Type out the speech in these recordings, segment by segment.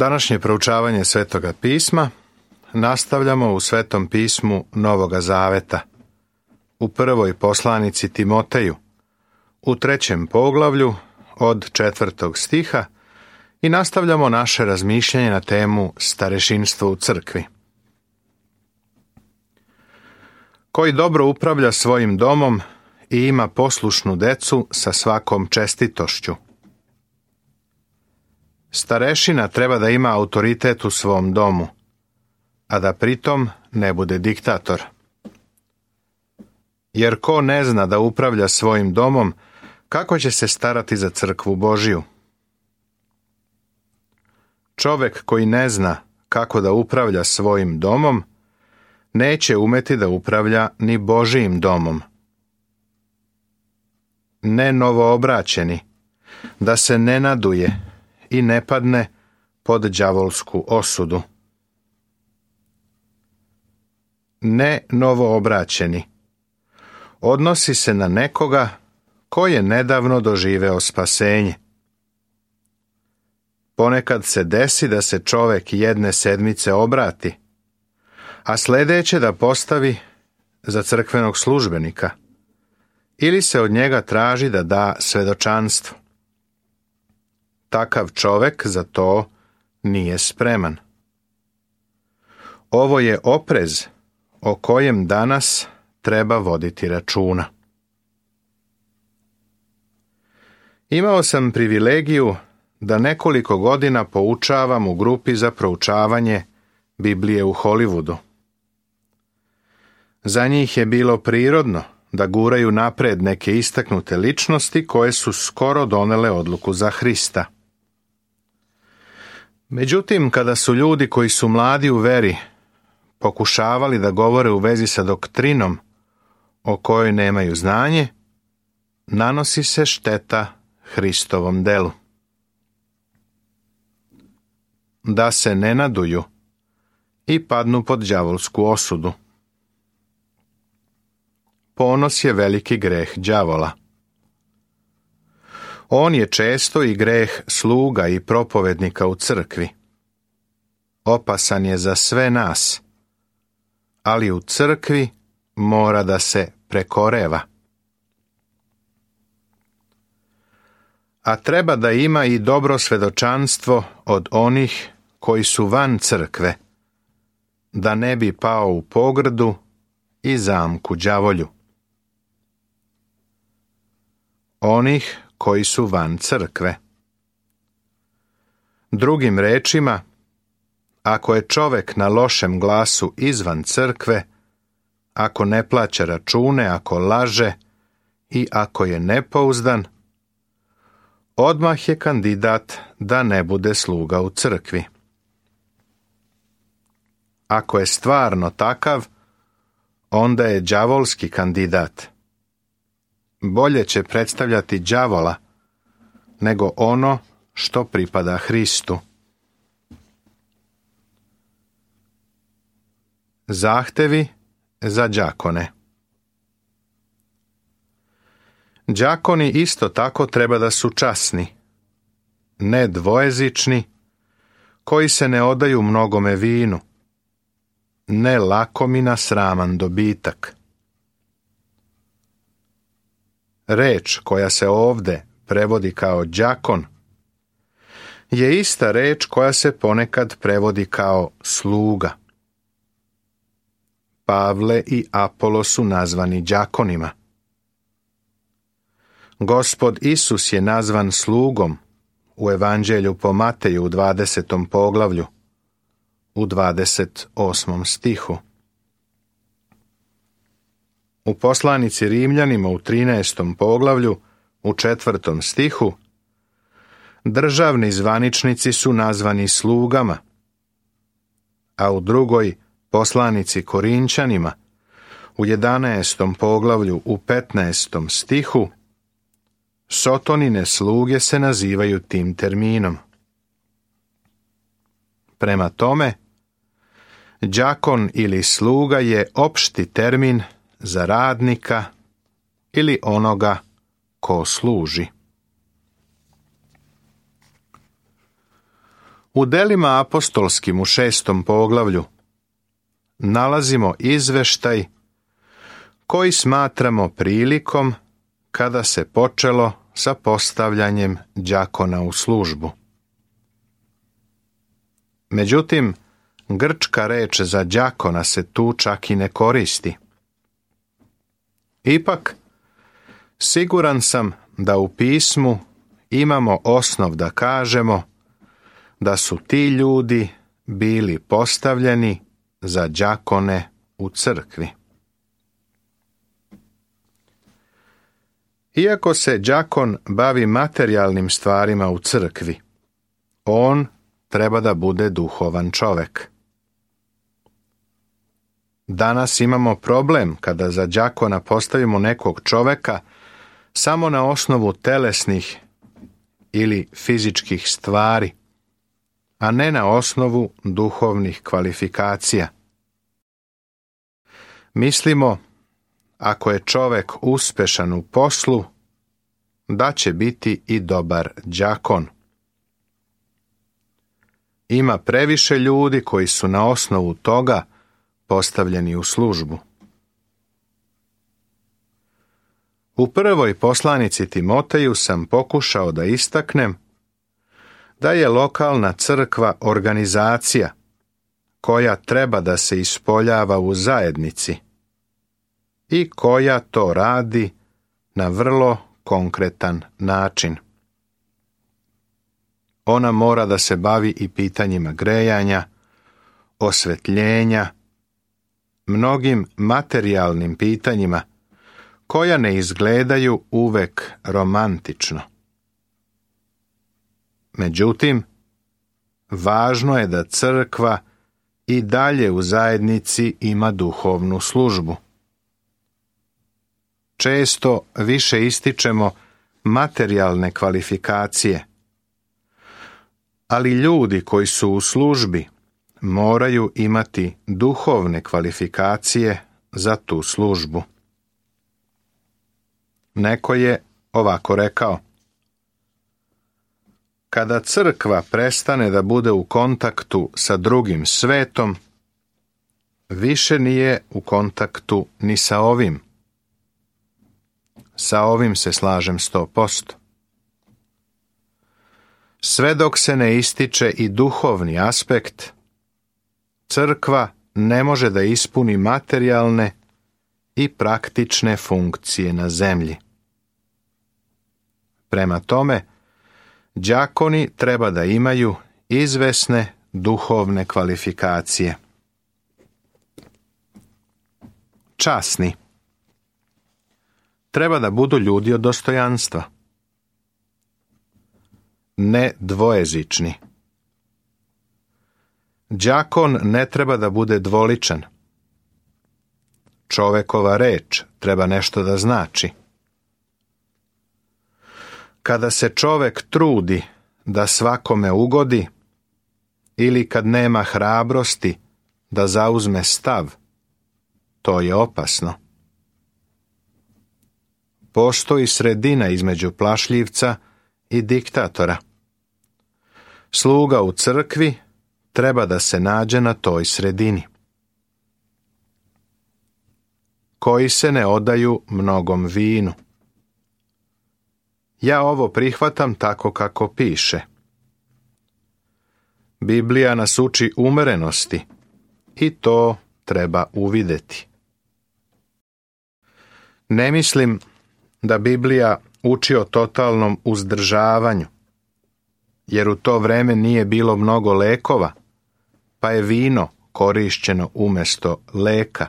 Današnje proučavanje Svetoga pisma nastavljamo u Svetom pismu Novoga Zaveta, u prvoj poslanici Timoteju, u 3. poglavlju od 4. stiha i nastavljamo naše razmišljanje na temu starešinstvo u crkvi. Koji dobro upravlja svojim domom i ima poslušnu decu sa svakom čestitošću. Starešina treba da ima autoritet u svom domu, a da pritom ne bude diktator. Jer ko ne zna da upravlja svojim domom, kako će se starati za crkvu Božiju? Čovek koji ne zna kako da upravlja svojim domom, neće umeti da upravlja ni Božijim domom. Ne novoobraćeni, da se ne naduje i ne padne pod đavolsku osudu. Ne novoobraćeni odnosi se na nekoga ko je nedavno doživeo spasenje. Ponekad se desi da se čovek jedne sedmice obrati, a sledeće da postavi za crkvenog službenika, ili se od njega traži da da svedočanstvo. Takav čovek za to nije spreman. Ovo je oprez o kojem danas treba voditi računa. Imao sam privilegiju da nekoliko godina poučavam u grupi za proučavanje Biblije u Hollywoodu. Za njih je bilo prirodno da guraju napred neke istaknute ličnosti koje su skoro donele odluku za Hrista. Međutim, kada su ljudi koji su mladi u veri pokušavali da govore u vezi sa doktrinom o kojoj nemaju znanje, nanosi se šteta Hristovom delu. Da se ne naduju i padnu pod đavolsku osudu. Ponos je veliki greh đavola. On je često i greh sluga i propovednika u crkvi. Opasan je za sve nas, ali u crkvi mora da se prekoreva. A treba da ima i dobro svedočanstvo od onih koji su van crkve, da ne bi pao u pogrdu i zamku đavolju. Onih koji su van crkve. Drugim rečima, ako je čovek na lošem glasu izvan crkve, ako ne plaća račune, ako laže i ako je nepouzdan, odmah je kandidat da ne bude sluga u crkvi. Ako je stvarno takav, onda je đavolski kandidat. Bolje će predstavljati đavola nego ono što pripada Hristu. Zahtevi za đakone. Đakoni isto tako treba da su časni, ne dvojezični, koji se ne odaju mnogome vinu, ne lakomi na sraman dobitak. Reč koja se ovde prevodi kao đakon je ista reč koja se ponekad prevodi kao sluga. Pavle i Apolo su nazvani đakonima. Gospod Isus je nazvan slugom u Evanđelju po Mateju u 20. poglavlju, u 28. stihu. U poslanici Rimljanima u 13. poglavlju, u 4. stihu, državni zvaničnici su nazvani slugama, a u drugoj poslanici Korinćanima, u 11. poglavlju, u 15. stihu, Sotonine sluge se nazivaju tim terminom. Prema tome, đakon ili sluga je opšti termin za radnika ili onoga ko služi. U delima apostolskim u 6. poglavlju nalazimo izveštaj koji smatramo prilikom kada se počelo sa postavljanjem đakona u službu. Međutim, grčka reč za đakona se tu čak i ne koristi. Ipak, siguran sam da u pismu imamo osnov da kažemo da su ti ljudi bili postavljeni za đakone u crkvi. Iako se đakon bavi materijalnim stvarima u crkvi, on treba da bude duhovan čovek. Danas imamo problem kada za đakona postavimo nekog čoveka samo na osnovu telesnih ili fizičkih stvari, a ne na osnovu duhovnih kvalifikacija. Mislimo, ako je čovek uspešan u poslu, da će biti i dobar đakon. Ima previše ljudi koji su na osnovu toga postavljeni u službu. U prvoj poslanici Timoteju sam pokušao da istaknem da je lokalna crkva organizacija koja treba da se ispoljava u zajednici i koja to radi na vrlo konkretan način. Ona mora da se bavi i pitanjima grejanja, osvetljenja, mnogim materijalnim pitanjima koja ne izgledaju uvek romantično. Međutim, važno je da crkva i dalje u zajednici ima duhovnu službu. Često više ističemo materijalne kvalifikacije, ali ljudi koji su u službi moraju imati duhovne kvalifikacije za tu službu. Neko je ovako rekao: kada crkva prestane da bude u kontaktu sa drugim svetom, više nije u kontaktu ni sa ovim. Sa ovim se slažem 100%. Sve dok se ne ističe i duhovni aspekt, crkva ne može da ispuni materijalne i praktične funkcije na zemlji. Prema tome, đakoni treba da imaju izvesne duhovne kvalifikacije. Časni. Treba da budu ljudi od dostojanstva. Ne dvojezični. Đakon ne treba da bude dvoličan. Čovekova reč treba nešto da znači. Kada se čovek trudi da svakome ugodi ili kad nema hrabrosti da zauzme stav, to je opasno. Postoji sredina između plašljivca i diktatora. Sluga u crkvi treba da se nađe na toj sredini. Koji se ne odaju mnogom vinu. Ja ovo prihvatam tako kako piše. Biblija nas uči umerenosti i to treba uvideti. Ne mislim da Biblija uči o totalnom uzdržavanju, jer u to vreme nije bilo mnogo lekova, pa je vino korišćeno umjesto leka.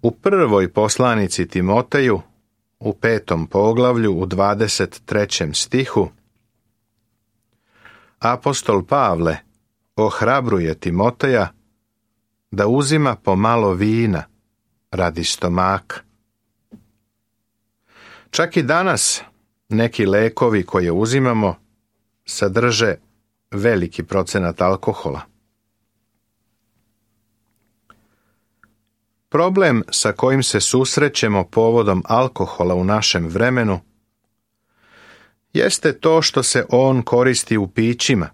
U prvoj poslanici Timoteju, u 5. poglavlju, u 23. stihu, apostol Pavle ohrabruje Timoteja da uzima pomalo vina radi stomaka. Čak i danas neki lekovi koje uzimamo sadrže veliki procenat alkohola. Problem sa kojim se susrećemo povodom alkohola u našem vremenu jeste to što se on koristi u pićima.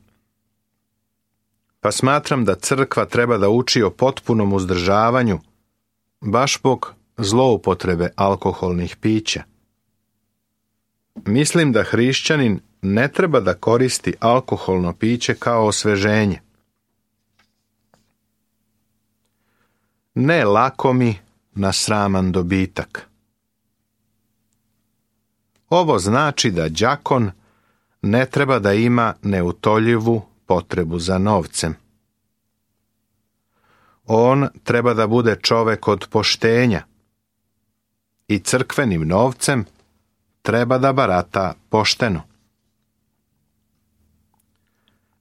Pa smatram da crkva treba da uči o potpunom uzdržavanju, baš zbog zloupotrebe alkoholnih pića. Mislim da hrišćanin ne treba da koristi alkoholno piće kao osveženje. Ne lakomi na sraman dobitak. Ovo znači da đakon ne treba da ima neutoljivu potrebu za novcem. On treba da bude čovek od poštenja i crkvenim novcem treba da barata pošteno.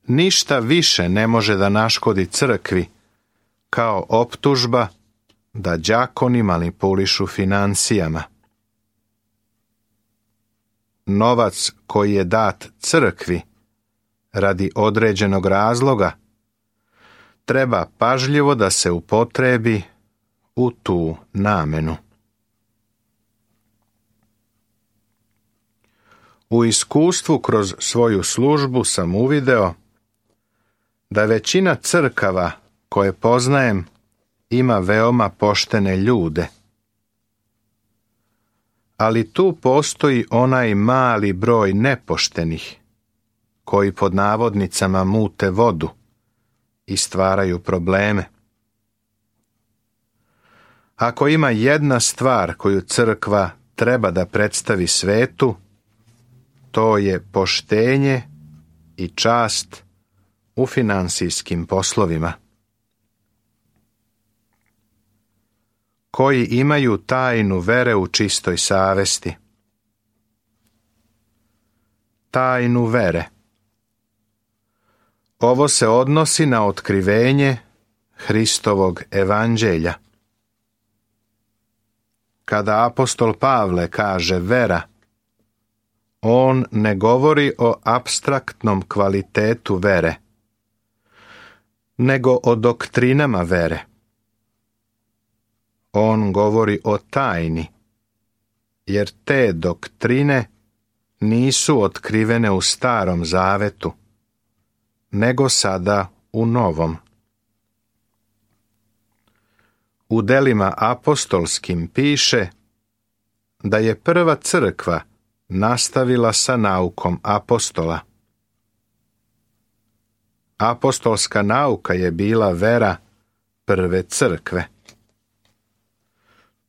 Ništa više ne može da naškodi crkvi kao optužba da đakoni manipulišu finansijama. Novac koji je dat crkvi radi određenog razloga treba pažljivo da se upotrebi u tu namenu. U iskustvu kroz svoju službu sam uvideo da većina crkava koje poznajem ima veoma poštene ljude. Ali tu postoji onaj mali broj nepoštenih, koji pod navodnicama mute vodu i stvaraju probleme. Ako ima jedna stvar koju crkva treba da predstavi svetu, to je poštenje i čast u finansijskim poslovima. Koji imaju tajnu vere u čistoj savesti. Tajnu vere. Ovo se odnosi na otkrivenje Hristovog evanđelja. Kada apostol Pavle kaže vera, on ne govori o apstraktnom kvalitetu vere, nego o doktrinama vere. On govori o tajni, jer te doktrine nisu otkrivene u Starom Zavetu, nego sada u Novom. U delima apostolskim piše da je prva crkva nastavila sa naukom apostola. Apostolska nauka je bila vera prve crkve.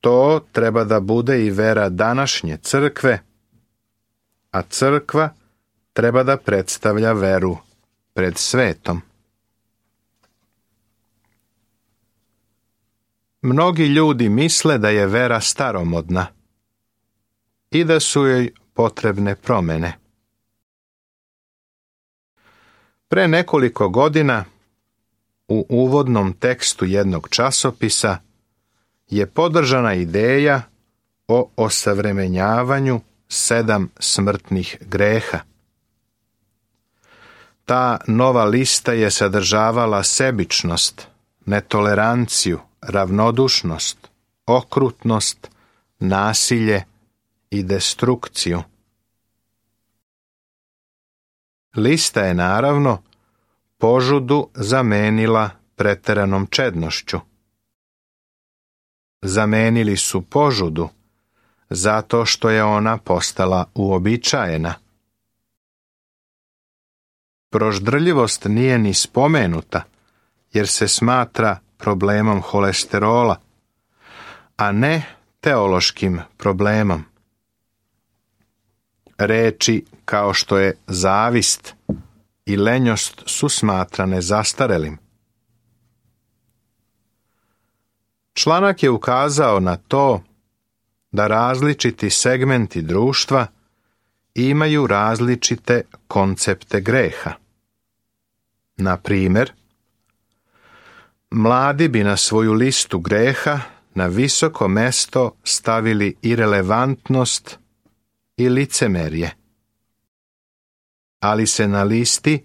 To treba da bude i vera današnje crkve, a crkva treba da predstavlja veru pred svetom. Mnogi ljudi misle da je vera staromodna i da su joj potrebne promene. Pre nekoliko godina u uvodnom tekstu jednog časopisa je podržana ideja o osavremenjavanju 7 smrtnih greha. Ta nova lista je sadržavala sebičnost, netoleranciju, ravnodušnost, okrutnost, nasilje i destrukciju. Lista je naravno požudu zamenila preteranom čednošću. Zamenili su požudu zato što je ona postala uobičajena. Proždrljivost nije ni spomenuta jer se smatra problemom holesterola, a ne teološkim problemom. Reči kao što je zavist i lenjost su smatrane zastarelim. Članak je ukazao na to da različiti segmenti društva imaju različite koncepte greha. Na primjer, mladi bi na svoju listu greha na visoko mesto stavili irelevantnost i licemerje. Ali se na listi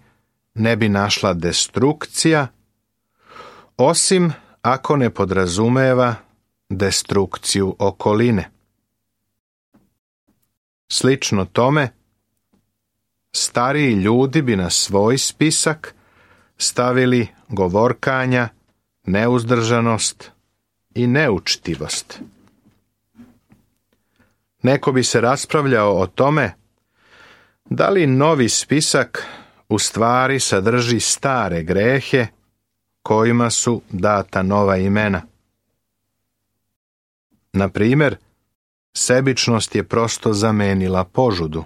ne bi našla destrukcija, osim ako ne podrazumeva destrukciju okoline. Slično tome, stariji ljudi bi na svoj spisak stavili govorkanja, neuzdržanost i neučtivost. Neko bi se raspravljao o tome da li novi spisak u stvari sadrži stare grehe kojima su data nova imena. Na primjer, sebičnost je prosto zamenila požudu.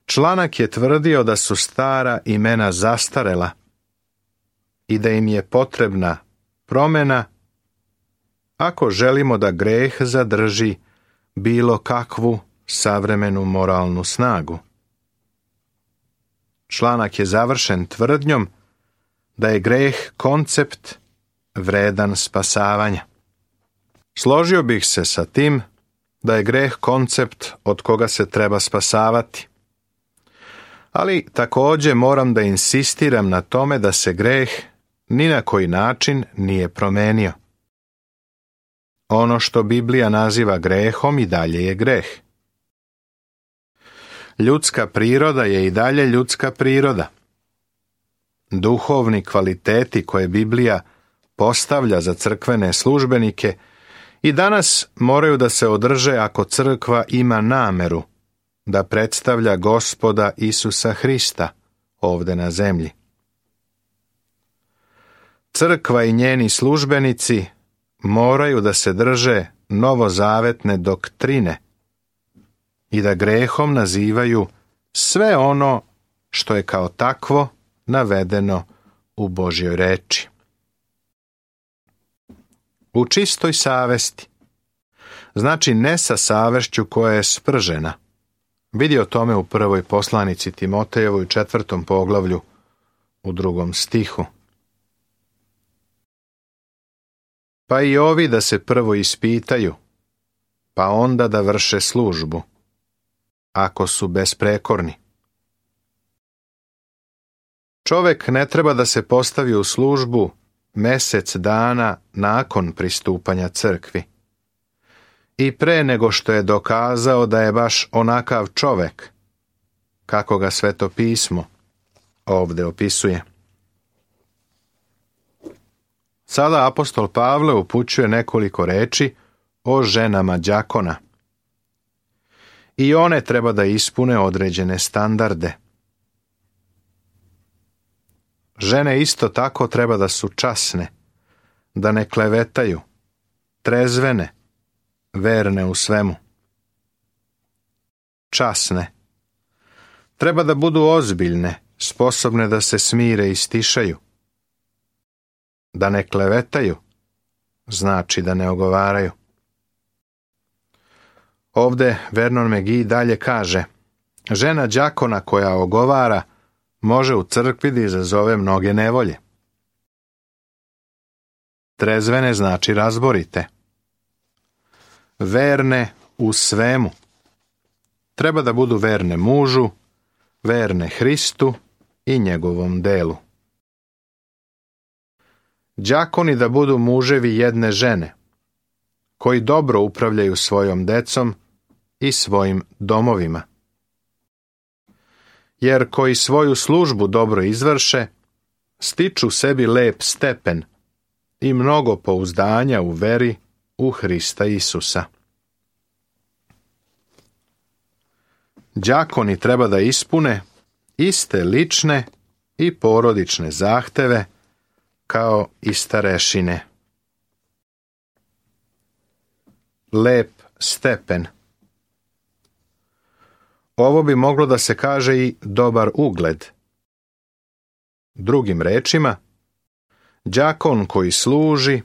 Članak je tvrdio da su stara imena zastarela i da im je potrebna promjena ako želimo da greh zadrži bilo kakvu savremenu moralnu snagu. Članak je završen tvrdnjom da je greh koncept vredan spasavanja. Složio bih se sa tim da je greh koncept od koga se treba spasavati. Ali također moram da insistiram na tome da se greh ni na koji način nije promenio. Ono što Biblija naziva grehom i dalje je greh. Ljudska priroda je i dalje ljudska priroda. Duhovni kvaliteti koje Biblija postavlja za crkvene službenike i danas moraju da se održe ako crkva ima nameru da predstavlja Gospoda Isusa Hrista ovdje na zemlji. Crkva i njeni službenici moraju da se drže novozavetne doktrine i da grehom nazivaju sve ono što je kao takvo navedeno u Božjoj reči. U čistoj savesti, znači ne sa savešću koja je spržena. Vidi o tome u prvoj poslanici Timotejevoj 4. poglavlju u 2. stihu. Pa i ovi da se prvo ispitaju, pa onda da vrše službu, ako su besprekorni. Čovjek ne treba da se postavi u službu mjesec dana nakon pristupanja crkvi i pre nego što je dokazao da je baš onakav čovjek, kako ga Sveto pismo ovdje opisuje. Sada apostol Pavle upućuje nekoliko reči o ženama đakona. I one treba da ispune određene standarde. Žene isto tako treba da su časne, da ne klevetaju, trezvene, verne u svemu. Časne. Treba da budu ozbiljne, sposobne da se smire i stišaju. Da ne klevetaju, znači da ne ogovaraju. Ovdje Vernon McGee dalje kaže, žena đakona koja ogovara može u crkvi da izazove mnoge nevolje. Trezvene znači razborite. Verne u svemu. Treba da budu verne mužu, verne Hristu i njegovom delu. Đakoni da budu muževi jedne žene, koji dobro upravljaju svojom decom i svojim domovima. Jer koji svoju službu dobro izvrše, stiču sebi lep stepen i mnogo pouzdanja u veri u Hrista Isusa. Đakoni treba da ispune iste lične i porodične zahteve kao i starešine. Lep stepen. Ovo bi moglo da se kaže i dobar ugled. Drugim rečima, đakon koji služi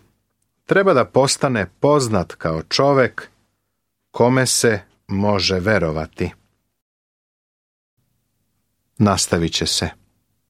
treba da postane poznat kao čovjek kome se može verovati. Nastavit će se.